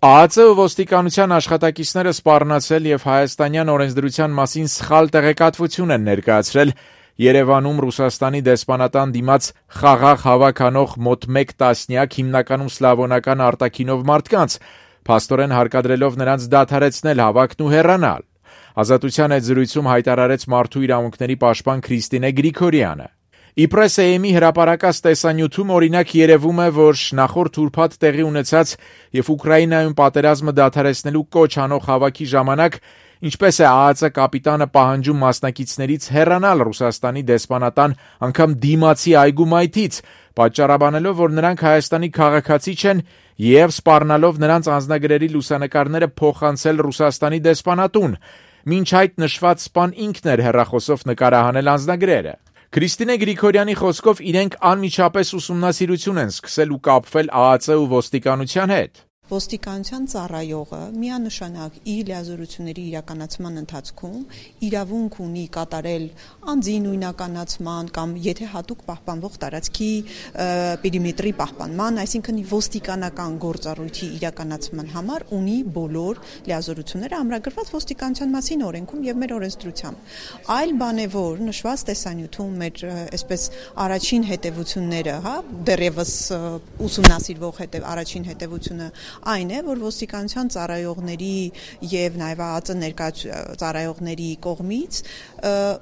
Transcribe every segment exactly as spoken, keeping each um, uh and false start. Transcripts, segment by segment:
ԱԱԾ ու ոստիկանության աշխատակիցները սպառնացել եւ հայաստանյան օրենսդրության մասին սխալ տեղեկատվություն են ներկայացրել Երևանում Ռուսաստանի դեսպանատան դիմաց խաղաղ հավաք անող մոտ մեկ տասնյակ հիմնականում սլավոնական արտաքինով մարդկանց, փաստորեն հարկադրելով նրանց դադարեցնել հավաքն ու հեռանալ։ Ազատության այդ զրույցում հայտարարեց մարդու իրավունքների պաշտպան Քրիստինե Գրիգորյանը։ Իպրես-Էեմի հրապարակած տեսանյութում օրինակ երևում է, որ նախորդ ուրբաթ տեղի ունեցած եւ Ուկրաինայում պատերազմը դադարեցնելու կոչ անող հավաքի ժամանակ ինչպես է ԱԱԾ կապիտանը պահանջում մասնակիցներից հեռանալ Ռուսաստանի դեսպանատան անգամ դիմացի այգու մայթից, պատճառաբանելով, որ նրանք Հայաստանի քաղաքացի չեն եւ սպառնալով նրանց անձնագրերի լուսանկարները փոխանցել Ռուսաստանի դեսպանատուն, մինչ այդ նշված սպան ինքն էր հեռախոսով նկարահանել անձնագրերը։ Քրիստինե Գրիգորյանի խոսքով իրենք անմիջապես ուսումնասիրություն են սկսել ու կապվել ԱԱԾ ու ոստիկանության հետ։ Ոստիկանության ծառայողը միանշանակ իր լիազորությունների իրականացման ընթացքում իրավունք ունի կատարել անձի նույնականացման կամ եթե հատուկ պահպանվող տարածքի պերիմետրի պահպանման, այսինքն ոստիկանական գործառույթի իրականացման համար ունի բոլոր լիազորությունները ամրագրված ոստիկանության մասին օրենքում եւ մեր օրենսդրությամբ։ Այլ բան է, որ նշված տեսանյութում մեր այսպես առաջին հետևությունները, հա, դեռևս ուսումնասիրվող հետև առաջին հետևությունը այն է, որ ոստիկանության ծառայողների եւ նաեւ ԱԱԾ ներկայացուցիչ ծառայողների կողմից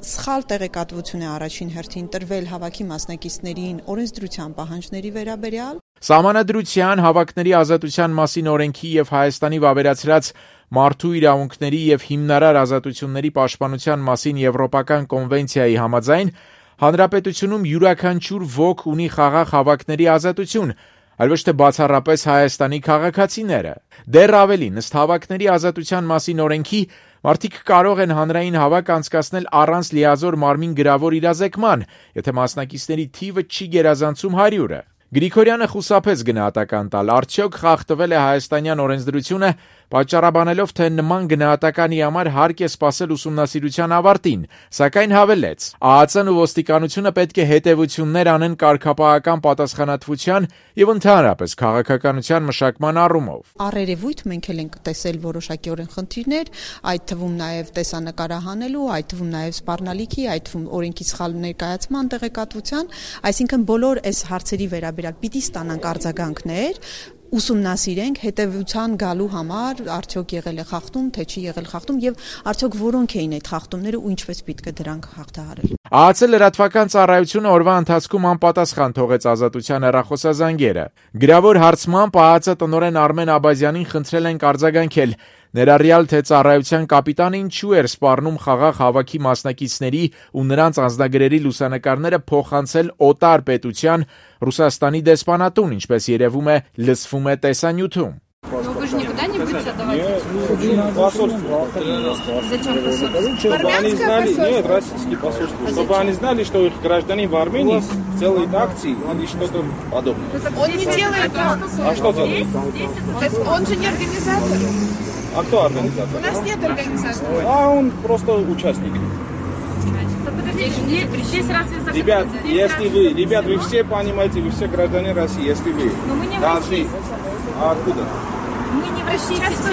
սխալ տեղեկատվություն է առաջին հերթին տրվել հավաքի մասնակիցներին օրենսդրության պահանջների վերաբերյալ։ Սահմանադրության, հավաքների ազատության մասին օրենքի եւ Հայաստանի վավերացրած մարդու իրավունքների եւ հիմնարար ազատությունների պաշտպանության մասին Եվրոպական կոնվենցիայի համաձայն հանրապետությունում յուրաքանչյուր ոք ունի խաղաղ հավաքների ազատություն, այլ ոչ թե բացառապես Հայաստանի քաղաքացիները։ Դեռ ավելի, ըստ հավաքների ազատության մասին օրենքի, մարդիկ կարող են հանրային հավաք անցկացնել առանց լիազոր մարմին գրավոր իրազեկման, եթե մասնակիցների թիվը չի գերազանցում հարյուրը։ Գրիգորյանը խուսափեց գնահատական տալ, արդյոք խախտվել է հայաստանյան օրենսդրությունը, պատճառաբանելով, թե նման գնահատականի համար հարկ է սպասել ուսումնասիրության ավարտին, սակայն հավելեց. ԱԱԾ-ն ու ոստիկանությունը պետք է հետևություններ անեն կարգապահական պատասխանատվության եւ ընդհանրապես քաղաքականության մշակման առումով։ Առերևույթ մենք էլ ենք տեսել որոշակիորեն խնդիրներ, այդ թվում նաեւ տեսանկարահանելու, այդ թվում նաեւ սպառնալիքի, այդ թվում օրենքի սխալ ներկայացման տեղեկատվության, այսինքն բոլոր այս հարցերի վերաբերյալ պիտի ստանանք արձագանքներ, ուսումնասիրենք հետևության գալու համար արդյոք եղել է խախտում, թե չի եղել խախտում եւ արդյոք որոնք էին այդ խախտումները ու ինչպես պետք է դրանք հաղթահարել։ ԱԱՑ լրատվական ծառայությունը օրվա ընթացքում անպատասխան թողեց ազատության հեռախոսազանգերը։ Գրավոր հարցմամբ ԱԱՑ տնօրեն Արմեն Աբազյանին խնդրել են արձագանքել, ներառյալ թե ծառայության կապիտանը ինչու էր սպառնում խաղաղ հավաքի մասնակիցների ու նրանց անձնագրերի լուսանկարները փոխանցել օտար պետության Ռուսաստանի դեսպանատուն, ինչպես երևում է լսվում է տեսանյութում։ Вы же никуда не будете отдавать? Нет, посольство. Зачем посольство? Чтобы они знали, нет, российские посольства, а чтобы они знали, что их граждане в Армении делают акции или что-то подобное. Он не делает акции. А что делает? То есть он же не организатор. А кто организатор? У нас нет организатора. А он просто участник. Ребят, если вы, ребят, вы все понимаете, вы все граждане России, если вы должны... А откуда? Мы не в России сейчас.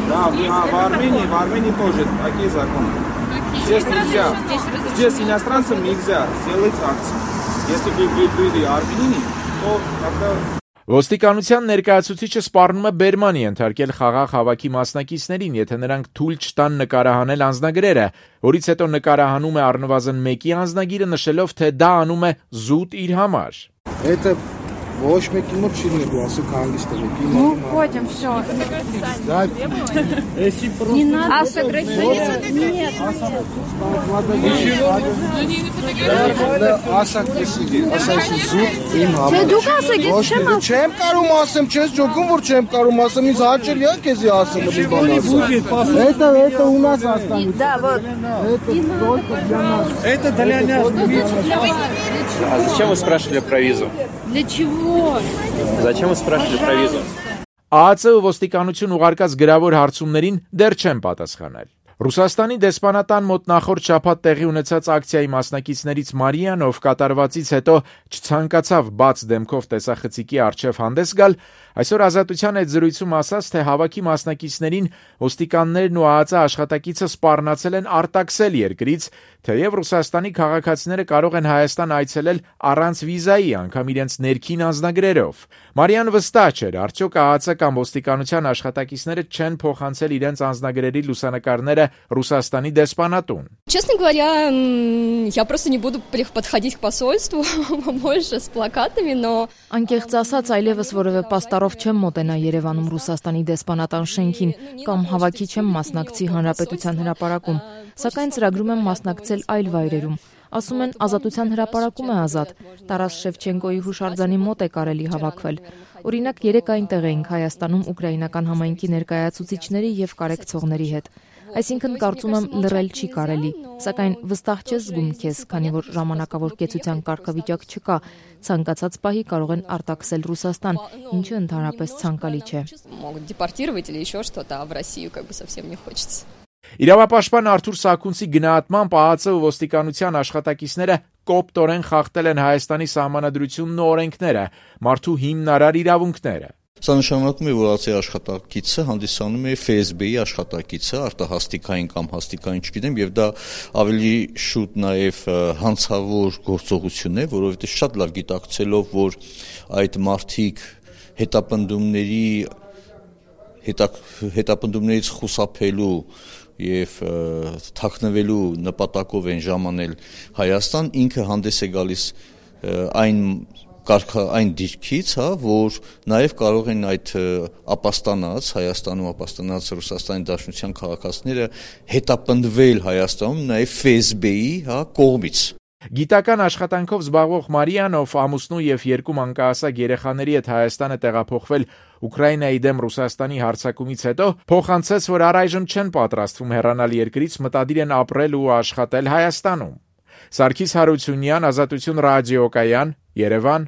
Да, а в Армении, в Армении тоже такие законы. Здесь нельзя. Здесь иностранцам нельзя сделать акции. Если бы вы были армянине, то тогда... Ոստիկանության ներկայացուցիչը սպառնում է բերմանի ենթարկել խաղաղ հավաքի մասնակիցներին, եթե նրանք թույլ չտան նկարահանել անձնագրերը, որից հետո նկարահանում է առնվազն մեկի անձնագիրը, նշելով, թե դա անում է զուտ իր համար։ Это ոչ մեկի մոտ չի լինելու, ասեք հանգիստ եք։ Ну, уходим, все. Да. Если просто... Не надо. А сокращение? Нет. Ասակ էսի, ասայսի զուտ իմ համար։ Չէ, դուք ասեք, ես չեմ ասում։ Չեմ կարում ասեմ, չես ջոկում, որ չեմ կարում ասեմ, ինձ հաճելի է քեզի ասեմ, մի բան ասեմ։ Это, это у нас останется. Да, вот. Это только для нас. Это для нас. А зачем вы спрашивали про визу? Для чего? Зачем вы спрашивали про визу? ԱԱՑ-ը ոստիկանություն ուղարկած գրավոր հարցումներին դեռ չեն պատասխանել։ Ռուսաստանի դեսպանատան մոտ նախորդ շաբաթ տեղի ունեցած ակցիայի մասնակիցներից Մարիան, ով կատարվածից հետո չցանկացավ բաց դեմքով տեսախցիկի առջև հանդես գալ, Այսօր Ազատության հետ զրույցում ասաց, թե հավաքի մասնակիցներին ոստիկաններն ու ԱԱԾ աշխատակիցը սպառնացել են արտաքսել երկրից, թեև Ռուսաստանի քաղաքացիները կարող են Հայաստան այցելել առանց վիզայի, անգամ իրենց ներքին անձնագրերով։ Մարիան վստահ չէր, արդյոք ԱԱԾ կամ ոստիկանության աշխատակիցները չեն փոխանցել իրենց անձնագրերի լուսանկարները Ռուսաստանի դեսպանատուն։ Честно говоря, я просто не буду подходить к посольству больше с плакатами, но Անկեղծ ասած, այլևս որևէ պաստառով չեմ մոտենա Երևանում Ռուսաստանի դեսպանատան շենքին կամ հավաքի չեմ մասնակցի Հանրապետության հրապարակում, սակայն ծրագրում եմ մասնակցել այլ վայրերում։ Ասում են Ազատության հրապարակում է ազատ, Տարաս Շևչենկոյի հուշարձանի մոտ է կարելի հավաքվել։ Օրինակ երեք այնտեղ էինք Հայաստանում ուկրաինական համայնքի ներկայացուցիչների եւ կարեկցողների հետ։ Այսինքն կարծում եմ լռել չի կարելի, սակայն վստահ չես զգում քեզ, քանի որ ժամանակավոր կեցության կարգավիճակ չկա, ցանկացած պահի կարող են արտաքսել Ռուսաստան, ինչը ընդհանրապես ցանկալի չէ։ могут депортировать или еще что-то, а в Россию как бы совсем не хочется. Իրավապաշտպան Արթուր Սաքունցի գնահատմամբ ԱԱԾ ու ոստիկանության աշխատակիցները կոպտորեն խախտել են Հայաստանի սահմանադրությունն ու օրենքները, մարդու հիմնարար իրավունքները։ Սա նշանակում է, որ ԱԱԾ-ի աշխատակիցը հանդիսանում է Ֆ S B-ի աշխատակիցը, արտահաստիկային կամ հաստիկային, չգիտեմ, եւ դա ավելի շուտ նաեւ հանցավոր գործողություն է, որովհետեւ շատ լավ գիտակցելով, որ այդ մարդիկ հետապնդումների հետապնդումներից խուսափելու եւ թաքնվելու նպատակով են ժամանել Հայաստան, ինքը հանդես է գալիս այն կարգա այն դիրքից, հա, որ նաև կարող են այդ ապաստանած Հայաստանում ապաստանած Ռուսաստանի Դաշնության քաղաքացիները հետապնդվել Հայաստանում նաև F S B-ի, հա, կողմից։ Գիտական աշխատանքով զբաղվող Մարիան, ով ամուսնու եւ երկու մանկահասակ երեխաների հետ Հայաստանը տեղափոխվել Ուկրաինայի դեմ Ռուսաստանի հարձակումից հետո, փոխանցեց, որ առայժմ չեն պատրաստվում հեռանալ երկրից, մտադիր են ապրել ու աշխատել Հայաստանում։ Սարգիս Հարությունյան, Ազատություն ռադիոկայան, Երևան,